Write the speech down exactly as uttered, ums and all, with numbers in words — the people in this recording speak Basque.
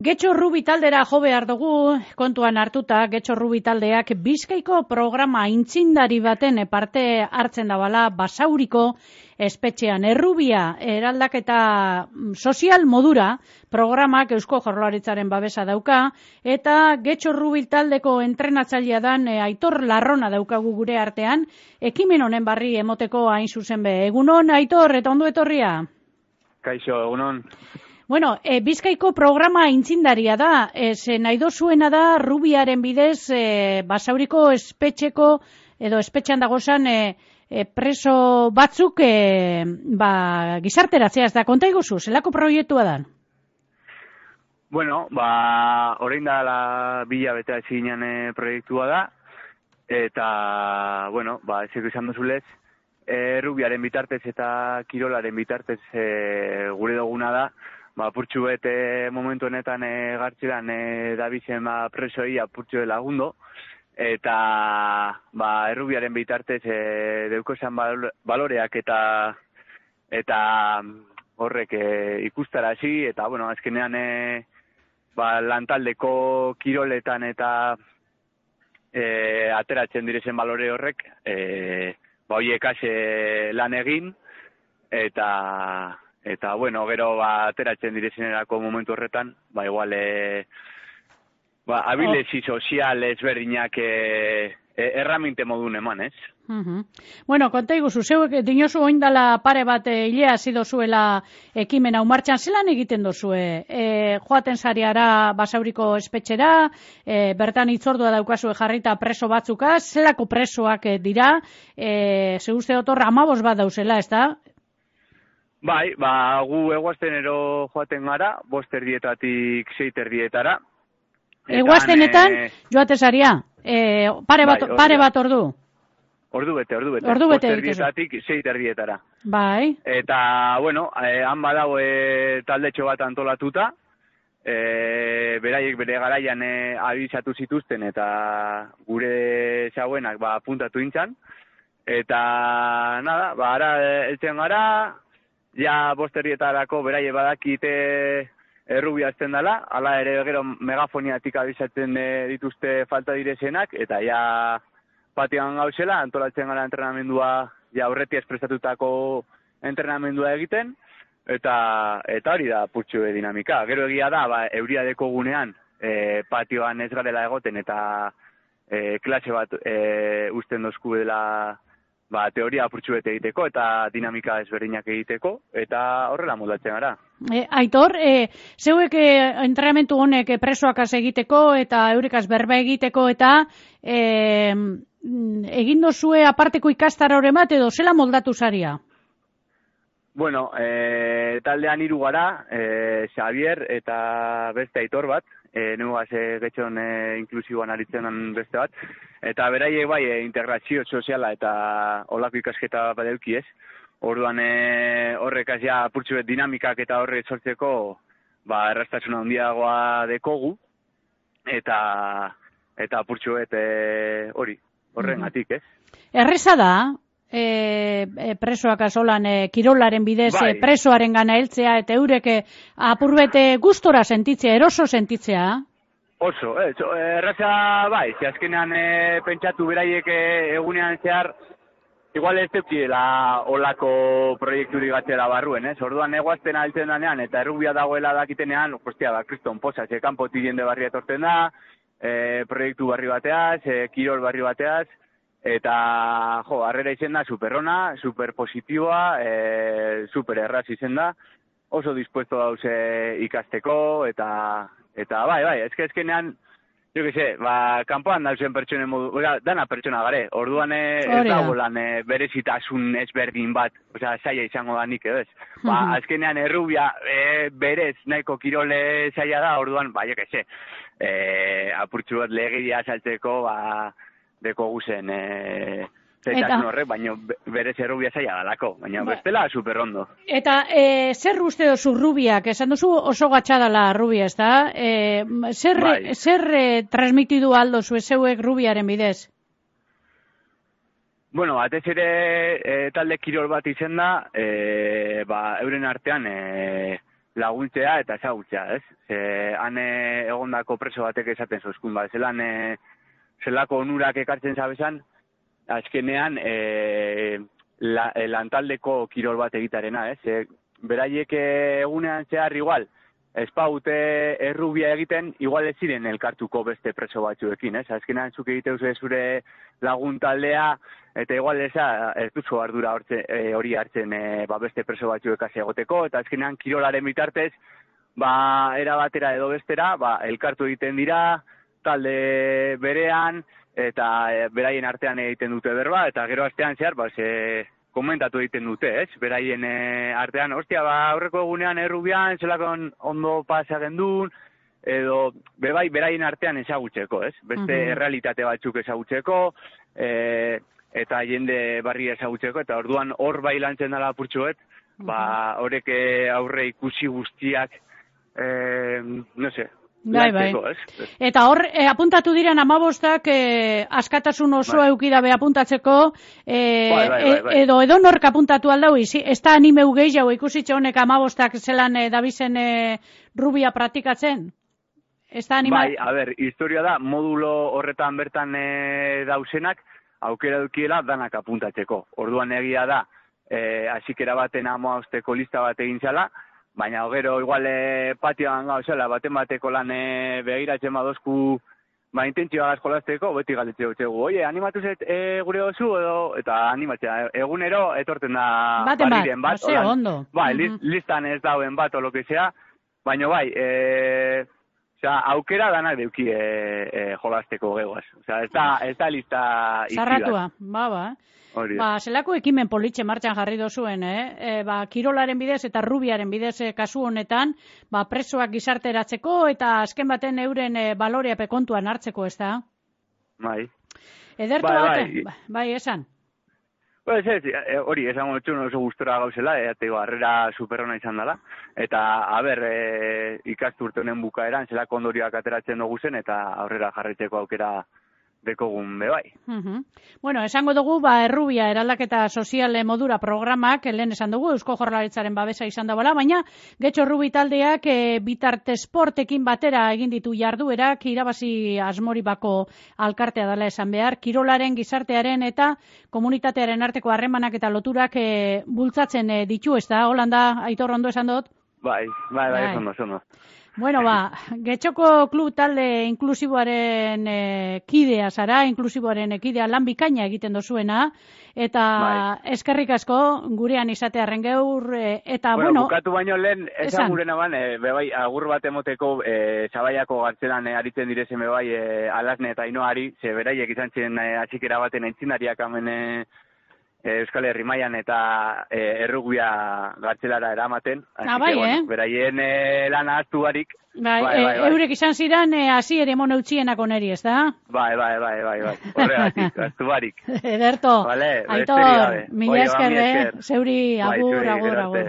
Getxo Rubi taldera jo behar dugu, kontuan hartuta, Getxo Rubi taldeak Bizkaiko programa intzindari baten parte hartzen dabala Basauriko espetxean. Errubia eraldaketa sozial modura programak Eusko Jaurlaritzaren babesa dauka, eta Getxo Rubi taldeko entrenatzailea dan Aitor Larrona daukagu gure artean, ekimen honen barri emoteko hain zuzen be. Egunon, Aitor, eta ondo etorria? Kaixo, egunon. Bueno, e, Bizkaiko programa intzindaria da, e, ze nahi dozuena da Rubiaren bidez e, Basauriko espetxeko edo espetxean dagozan e, e, preso batzuk e, ba, gizarteratzea, ez da, konta iguzu, zelako proiektua da? Bueno, ba, orain da la bila bete zinean e, proiektua da, eta, bueno, ba, ezeko izan duzulez, e, Rubiaren bitartez eta Kirolaren bitartez e, gure duguna da, ba, apurtxu bete momentu honetan e, gartzelan e, dabizen ba, presoi apurtxu lagundo, eta ba, Errubiaren bitartez e, deukozan baloreak eta eta horrek e, ikustarazi, eta bueno, azkenean e, ba, lantaldeko kiroletan eta e, ateratzen direzen balore horrek, e, ba, hoiekaz e, lan egin, eta Eta, bueno, gero, ba, ateratzen direzenerako momentu horretan, ba, igual, e, ba, abilezi sozial ezberdinak e, e, erraminte modun eman, ez? Uh-huh. Bueno, konta iguzu, zeuek dinosu oindala pare bat e, hilea zido zuela ekimen hau martxan, zelan egiten dozue? E, joaten zariara Basauriko espetxera, e, bertan itzordua daukazue jarrita preso batzukaz, zelako presoak e, dira, e, ze uste otor amabos bat dauzela, ez da? Bai, ba, gu eguaztenero joaten gara, bost erdietatik seit erdietara. Eguaztenetan e... joate zaria, e, pare, bat, bai, pare bat ordu? Ordu bete, ordu bete. Ordu bete bost erdietatik seit erdietara. Bai. Eta, bueno, e, han badau e, taldetxo bat antolatuta, e, beraiek bere garaian e, abizatu zituzten eta gure zauenak ba, puntatu intzan. Eta, nada, ba, ara eltzen gara, ja bosterrietarako beraie badakite Errubia azten dela, ala ere gero megafoniatik abizatzen dituzte falta direzenak, eta ja patioan gauzela, antolatzen gara entrenamendua, ja aurretiaz prestatutako entrenamendua egiten, eta eta hori da putxu dinamika. Gero egia da, ba, euria deko gunean, e, patioan ez garela egoten, eta e, klase bat e, usten dozku dela, ba, teoria apurtxu bete egiteko eta dinamika ezberdinak egiteko, eta horrela moldatzen gara. E, Aitor, e, zeuek e, entrenamentu honek presoakaz egiteko eta eurekaz berba egiteko eta e, egin dozue aparteko ikastara hori bat edo zela moldatu zaria? Bueno, e, taldean hiru gara, e, Xavier eta beste Aitor bat, e, nugaz e, getxon e, inklusiboan aritzen beste bat, eta beraiek bai e, integrazio soziala eta olako ikasketa bat eduki ez. Orduan e, horrekaz ja apurtxu bet dinamikak eta horre sortzeko ba, erraztasuna handiagoa dekogu, eta eta apurtxu bet e, hori, horren atik ez. Erreza da, E, e, presoak azolan e, kirolaren bidez bai. e, presoaren gana heltzea eta eurek e, apurbete gustora sentitzea, eroso sentitzea? Oso, eh, erraza bai, ze azkenean e, pentsatu beraiek e, egunean zehar igual ez teukidela olako proiekturik gatzela barruen, ez? Orduan eguazten altzen danean eta Errubia dagoela dakitenean, ostia, ba, kriston posa, ze kanpotik jende barri etortzen da, e, proiektu barri bateaz, e, kirol barri bateaz, eta, jo, harrera izen da superrona, superpositiboa, e, super erraz izen da, oso dispuesto dauze ikasteko, eta, eta bai, bai, ezke ezkenean, jo que se, ba, kanpoan dauzen pertsonen modu, oza, dana pertsona gare, orduan ez dago lan e, berezitasun ezberdin bat, oza, zaila izango da nik, edo ez? Ba, azkenean Errubia e, berez nahiko kirole zaila da, orduan, ba, jo que se, e, apurtxu bat legeria saltzeko, ba, deko guzen e, zaitasun horrek, baina berez Errubia zaila dalako, baina ba. Bestela superrondo. Eta e, zer uste dozu Rubiak? Esan duzu oso gatxadala Rubia, ez da? E, zer bai. zer e, transmitidu aldo zu zeuek Rubiaren bidez? Bueno, batez ere e, talde kirol bat izen da, e, ba, euren artean, e, laguntzea eta ezagutzea, ez? Ze, han e, egondako preso batek esaten zozkun, ba, zelan e, zelako onurak ekartzen zabezan, azkenean e, la, e, lantaldeko kirol bat egitarena, ez? E, beraiek egunean zehar igual, espaute errubia egiten, igual ez ziren elkartuko beste preso batzuekin, ez? Azkenean zuk egiteu zure lagun taldea, eta igual eza, ez duzu ardura hortze, e, hori hartzen e, ba beste preso batzuek hasi egoteko, eta azkenean kirolaren bitartez, ba, era batera edo bestera, ba, elkartu egiten dira, talde berean, eta e, beraien artean egiten dute berba, eta gero astean zehar, ba, ze, komentatu egiten dute, ez? Beraien e, artean, ostia, ba, aurreko egunean errubian, zelakon ondo pasa gendun, edo, bebai, beraien artean ezagutzeko, ez? Beste uh-huh. errealitate batzuk ezagutzeko, e, eta jende barri ezagutzeko, eta orduan hor bai lantzen dela apurtxoet, uh-huh. ba, horrek aurre ikusi guztiak, e, no se, Bai, bai. Eta hor, e, apuntatu diren amabostak e, askatasun osoa bai. Eukidabe apuntatzeko, e, bai, bai, bai, bai. edo edo nork apuntatu aldau, ez da animeu gehiago ikusitxe honek amabostak zelan e, dabizen e, rubia praktikatzen? Ez da anima... Bai, a ber, historia da, modulo horretan bertan e, dausenak, aukera dukiela danak apuntatzeko. Orduan egia da, e, asikera baten amabosteko lista bat egin zala, baina gero igual e, patioan gauzela, baten bateko lan e, behiratzen badozku, ba, intentzioa jolasteko, beti galdetze dutxegu, oie, animatu zet e, gure oso, edo, eta animatzea, egunero etorten da barriren bat, bat ondo. Bai, uh-huh. listan ez dauen bat, o lo que sea, baina bai, e, osea, aukera danak deuki e, e, jolasteko gegoaz. Osea, ez da, ez da lista ikidat. Zarratua, ba, ba. Hori. Ba, zelako ekimen politxe martxan jarri dozuen, eh? E, ba, kirolaren bidez eta rubiaren bidez e, kasu honetan, ba, presoak gizarteratzeko eta azken baten euren e, baloreape kontuan hartzeko, ez da? Bai. Ederto bai, baten, bai. bai, esan. Pues ez, hori, esan gotxun oso gustora gauzela, eta harrera superrona izan dela. Eta, a ber, e, ikasturte honen bukaeran, zelako ondorioak ateratzen dugu zen, eta aurrera jarraitzeko aukera dekogun bebai. Uh-huh. Bueno, esango dugu, ba, errubia eraldaketa soziale modura programak, lehen esan dugu, Eusko Jaurlaritzaren babesa izan da bala, baina getxo rubi taldeak e, bitarte sportekin batera egin ditu jarduerak, irabazi asmori bako alkartea dela esan behar, kirolaren, gizartearen eta komunitatearen arteko harremanak eta loturak e, bultzatzen e, ditu, ez da? Holanda, Aitor, ondo esan dut? Bai, bai, bai, bai. ondo, ondo. Bueno, ba, Getxoko klub talde inklusiboaren e, kidea zara, inklusiboaren kidea lan bikaina egiten dozuena, eta bai. Eskerrik asko gurean izatearen geur, e, eta bueno... bueno... Bukatu baino lehen, esan gurena ban, e, bebai, agur bat emoteko e, Zabaiako gartzelan e, aritzen direzen bebai e, Alasne eta Inoari, ze beraiek izan zen e, atxikera baten entzindariak hemen e, Euskal Herri mailan eta e, errugbia gartzelara eramaten. Ah, bai, que, eh? Bueno, beraien e, lana hartu barik. Bai, bai, bai, bai. Eurek izan ziren e, hasi ere moneutxienak oneri, ez da? Bai, bai, bai, bai, bai. Horregatik, hartu barik. Ederto. Vale, Aitor, mila esker, eh? Zeuri, agur, agur, agur.